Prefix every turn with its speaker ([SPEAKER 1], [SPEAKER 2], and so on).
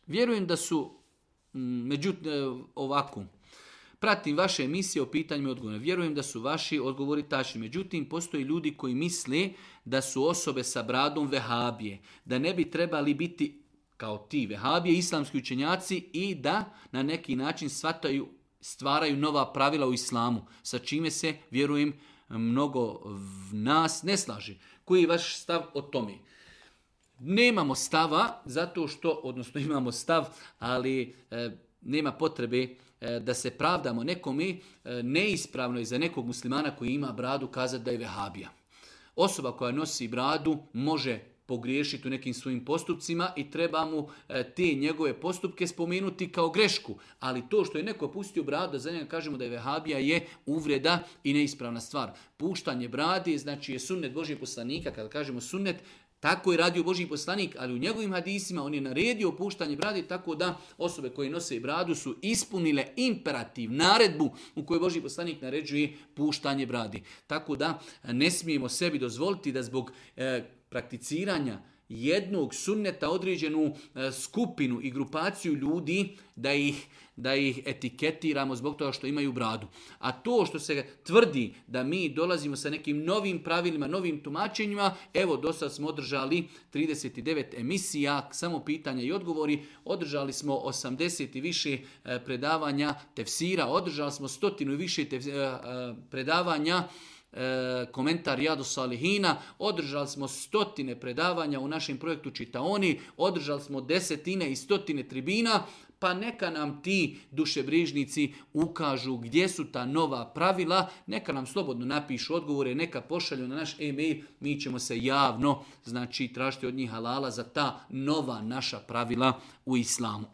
[SPEAKER 1] Vjerujem da su, međutim, ovako, pratim vaše emisije o pitanjima i odgovorima. Vjerujem da su vaši odgovori tačni. Međutim, postoje ljudi koji misle da su osobe sa bradom vehabije, da ne bi trebali biti kao ti vehabije, islamski učenjaci i da na neki način stvaraju nova pravila u islamu, sa čime se, vjerujem, mnogo nas ne slaži. Koji je vaš stav o tome? Nemamo stava, zato što, odnosno imamo stav, ali nema potrebe da se pravdamo nekome. Neispravno je za nekog muslimana koji ima bradu kazati da je vehabija. Osoba koja nosi bradu može pogriješiti u nekim svojim postupcima i treba mu te njegove postupke spomenuti kao grešku. Ali to što je neko pustio bradu, da za njega kažemo da je vehabija, je uvreda i neispravna stvar. Puštanje brade, znači je sunnet Božijeg poslanika, kada kažemo sunnet, tako je radio Božji poslanik, ali u njegovim hadisima on je naredio puštanje brade, tako da osobe koje nose bradu su ispunile imperativ, naredbu u kojoj Božji poslanik naređuje puštanje brade. Tako da ne smijemo sebi dozvoliti da zbog prakticiranja jednog sunneta određenu skupinu i grupaciju ljudi da ih etiketiramo zbog toga što imaju bradu. A to što se tvrdi da mi dolazimo sa nekim novim pravilima, novim tumačenjima, evo do sad smo održali 39 emisija, samo pitanja i odgovori, održali smo 80 i više predavanja tefsira, održali smo 100 i više predavanja komentar Rijadu Salihina, održali smo 100 predavanja u našem projektu Čitaoni, održali smo 10 i 100 tribina, pa neka nam ti dušebrižnici ukažu gdje su ta nova pravila, neka nam slobodno napišu odgovore, neka pošalju na naš e-mail, mi ćemo se javno tražiti od njih halala za ta nova naša pravila u islamu.